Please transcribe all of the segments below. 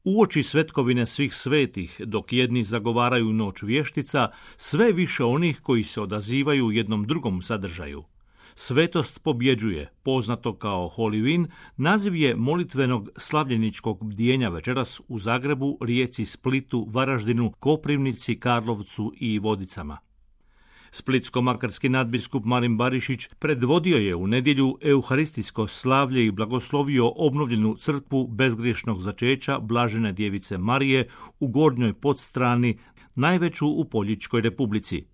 Uoči svetkovine svih svetih, dok jedni zagovaraju noć vještica, sve više onih koji se odazivaju jednom drugom sadržaju. Svetost pobjeđuje, poznato kao Holivin, naziv je molitvenog slavljeničkog bdijenja večeras u Zagrebu, Rijeci, Splitu, Varaždinu, Koprivnici, Karlovcu i Vodicama. Splitsko-makarski nadbiskup Marin Barišić predvodio je u nedjelju euharistijsko slavlje i blagoslovio obnovljenu crkvu bezgriješnog začeća Blažene djevice Marije u Gornjoj Podstrani, najveću u Poljičkoj Republici.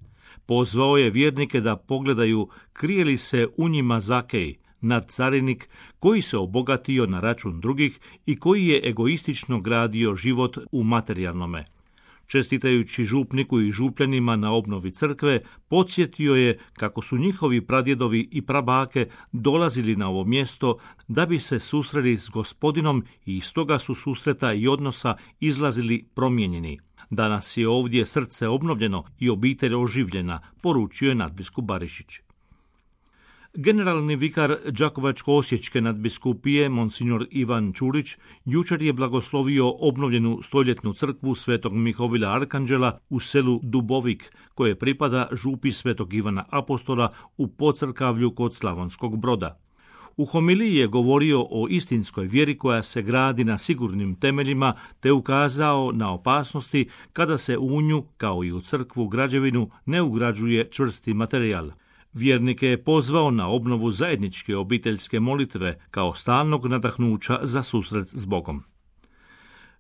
Pozvao je vjernike da pogledaju krije li se u njima Zakej, nadcarinik koji se obogatio na račun drugih i koji je egoistično gradio život u materijalnome. Čestitajući župniku i župljanima na obnovi crkve, podsjetio je kako su njihovi pradjedovi i prabake dolazili na ovo mjesto da bi se susreli s Gospodinom i iz toga su susreta i odnosa izlazili promijenjeni. Danas je ovdje srce obnovljeno i obitelj oživljena, poručio je nadbiskup Barišić. Generalni vikar Đakovačko-osječke nadbiskupije, monsignor Ivan Čulić, jučer je blagoslovio obnovljenu stoljetnu crkvu Svetog Mihovila Arkanđela u selu Dubovik, koje pripada župi Svetog Ivana Apostola u Podcrkavlju kod Slavonskog Broda. U homiliji je govorio o istinskoj vjeri koja se gradi na sigurnim temeljima, te ukazao na opasnosti kada se u nju, kao i u crkvu građevinu, ne ugrađuje čvrsti materijal. Vjernike je pozvao na obnovu zajedničke obiteljske molitve kao stalnog nadahnuća za susret s Bogom.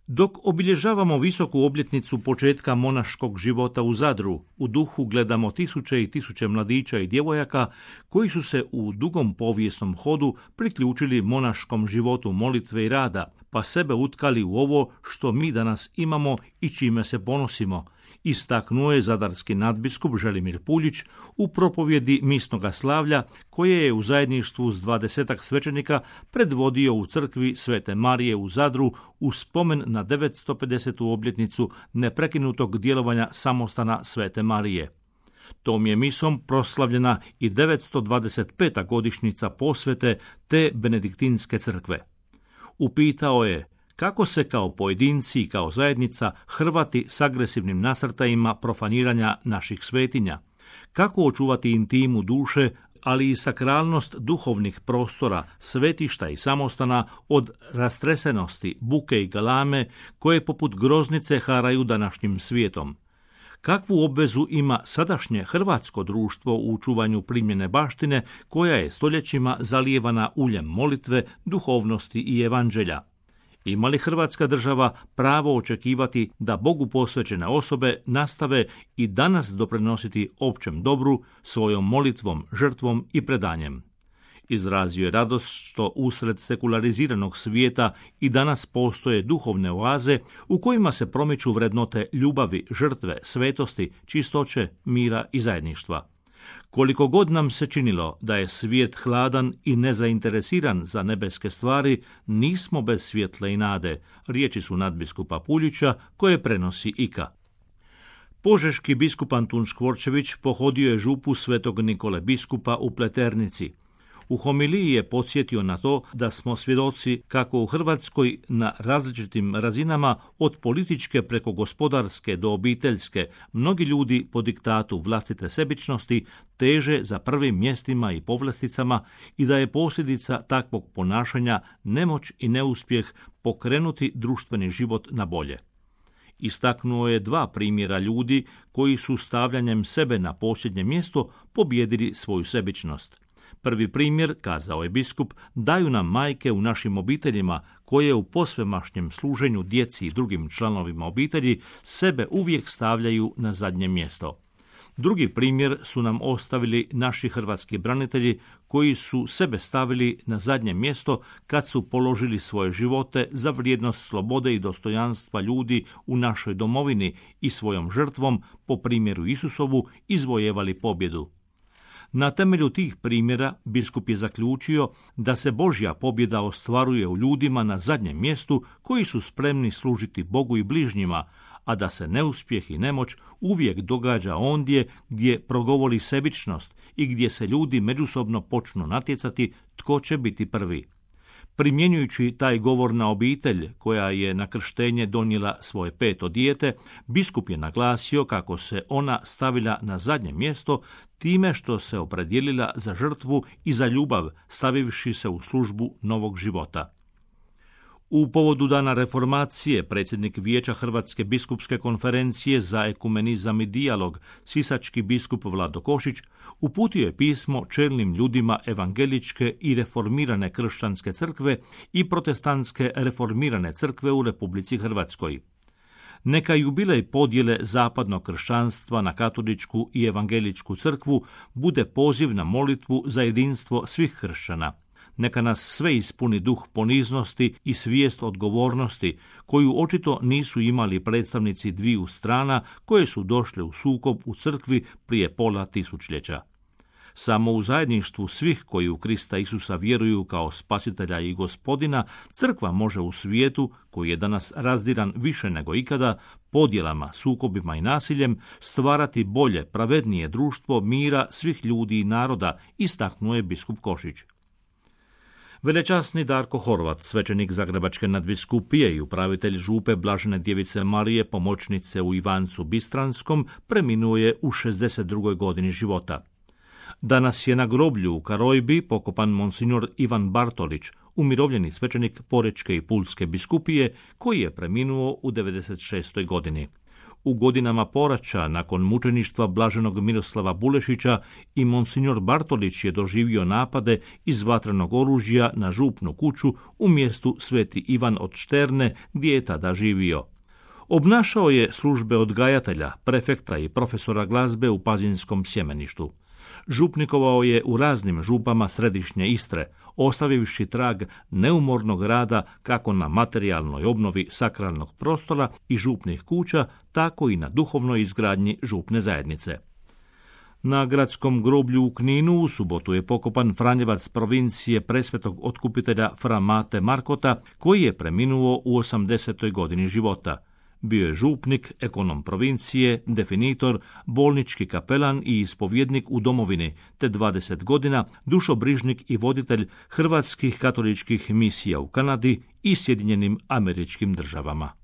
Dok obilježavamo visoku obljetnicu početka monaškog života u Zadru, u duhu gledamo tisuće i tisuće mladića i djevojaka koji su se u dugom povijesnom hodu priključili monaškom životu molitve i rada, pa sebe utkali u ovo što mi danas imamo i čime se ponosimo, istaknuo je zadarski nadbiskup Želimir Puljić u propovjedi misnoga slavlja koje je u zajedništvu s 20 svećenika predvodio u crkvi Svete Marije u Zadru u spomen na 950. obljetnicu neprekinutog djelovanja samostana Svete Marije. Tom je misom proslavljena i 925. godišnjica posvete te benediktinske crkve. Upitao je kako se kao pojedinci i kao zajednica hrvati s agresivnim nasrtajima profaniranja naših svetinja, kako očuvati intimu duše, ali i sakralnost duhovnih prostora, svetišta i samostana od rastresenosti, buke i galame koje poput groznice haraju današnjim svijetom. Kakvu obvezu ima sadašnje hrvatsko društvo u čuvanju primjene baštine koja je stoljećima zalijevana uljem molitve, duhovnosti i evanđelja? Ima li Hrvatska država pravo očekivati da Bogu posvećene osobe nastave i danas doprinositi općem dobru svojom molitvom, žrtvom i predanjem? Izrazio je radost što usred sekulariziranog svijeta i danas postoje duhovne oaze u kojima se promiču vrednote ljubavi, žrtve, svetosti, čistoće, mira i zajedništva. Koliko god nam se činilo da je svijet hladan i nezainteresiran za nebeske stvari, nismo bez svjetla i nade, riječi su nadbiskupa Puljića koje prenosi Ika. Požeški biskup Antun Škvorčević pohodio je župu Svetog Nikole biskupa u Pleternici. U homiliji je podsjetio na to da smo svjedoci kako u Hrvatskoj na različitim razinama od političke preko gospodarske do obiteljske mnogi ljudi po diktatu vlastite sebičnosti teže za prvim mjestima i povlasticama i da je posljedica takvog ponašanja nemoć i neuspjeh pokrenuti društveni život na bolje. Istaknuo je 2 primjera ljudi koji su stavljanjem sebe na posljednje mjesto pobijedili svoju sebičnost. Prvi primjer, kazao je biskup, daju nam majke u našim obiteljima koje u posvemašnjem služenju djeci i drugim članovima obitelji sebe uvijek stavljaju na zadnje mjesto. Drugi primjer su nam ostavili naši hrvatski branitelji koji su sebe stavili na zadnje mjesto kad su položili svoje živote za vrijednost slobode i dostojanstva ljudi u našoj domovini i svojom žrtvom, po primjeru Isusovu, izvojevali pobjedu. Na temelju tih primjera biskup je zaključio da se Božja pobjeda ostvaruje u ljudima na zadnjem mjestu koji su spremni služiti Bogu i bližnjima, a da se neuspjeh i nemoć uvijek događa ondje gdje progovori sebičnost i gdje se ljudi međusobno počnu natjecati tko će biti prvi. Primjenjujući taj govor na obitelj, koja je na krštenje donijela svoje 5. dijete, biskup je naglasio kako se ona stavila na zadnje mjesto time što se opredijelila za žrtvu i za ljubav, stavivši se u službu novog života. U povodu dana reformacije, predsjednik Vijeća Hrvatske biskupske konferencije za ekumenizam i dijalog, sisački biskup Vlado Košić, uputio je pismo čelnim ljudima evangeličke i reformirane kršćanske crkve i protestantske reformirane crkve u Republici Hrvatskoj. Neka jubilej podjele zapadnog kršćanstva na katoličku i evangeličku crkvu bude poziv na molitvu za jedinstvo svih kršćana. Neka nas sve ispuni duh poniznosti i svijest odgovornosti, koju očito nisu imali predstavnici dviju strana koje su došle u sukob u crkvi prije pola tisućljeća. Samo u zajedništvu svih koji u Krista Isusa vjeruju kao spasitelja i gospodina, crkva može u svijetu, koji je danas razdiran više nego ikada, podjelama, sukobima i nasiljem, stvarati bolje, pravednije društvo mira svih ljudi i naroda, istaknuo je biskup Košić. Velečasni Darko Horvat, svećenik Zagrebačke nadbiskupije i upravitelj župe Blažene Djevice Marije, pomoćnice u Ivancu Bistranskom, preminuo je u 62. godini života. Danas je na groblju u Karojbi pokopan monsignor Ivan Bartolić, umirovljeni svećenik Porečke i Pulske biskupije, koji je preminuo u 96. godini. U godinama poraća, nakon mučeništva blaženog Miroslava Bulešića, i monsignor Bartolić je doživio napade iz vatrenog oružja na župnu kuću u mjestu Sveti Ivan od Šterne, gdje je tada živio. Obnašao je službe odgajatelja, prefekta i profesora glazbe u Pazinskom sjemeništu. Župnikovao je u raznim župama središnje Istre, ostavivši trag neumornog rada kako na materijalnoj obnovi sakralnog prostora i župnih kuća, tako i na duhovnoj izgradnji župne zajednice. Na gradskom groblju u Kninu u subotu je pokopan Franjevac provincije presvetog otkupitelja Fra Mate Markota, koji je preminuo u 80. godini života. Bio je župnik, ekonom provincije, definitor, bolnički kapelan i ispovjednik u domovini, te 20 godina dušobrižnik i voditelj hrvatskih katoličkih misija u Kanadi i Sjedinjenim Američkim Državama.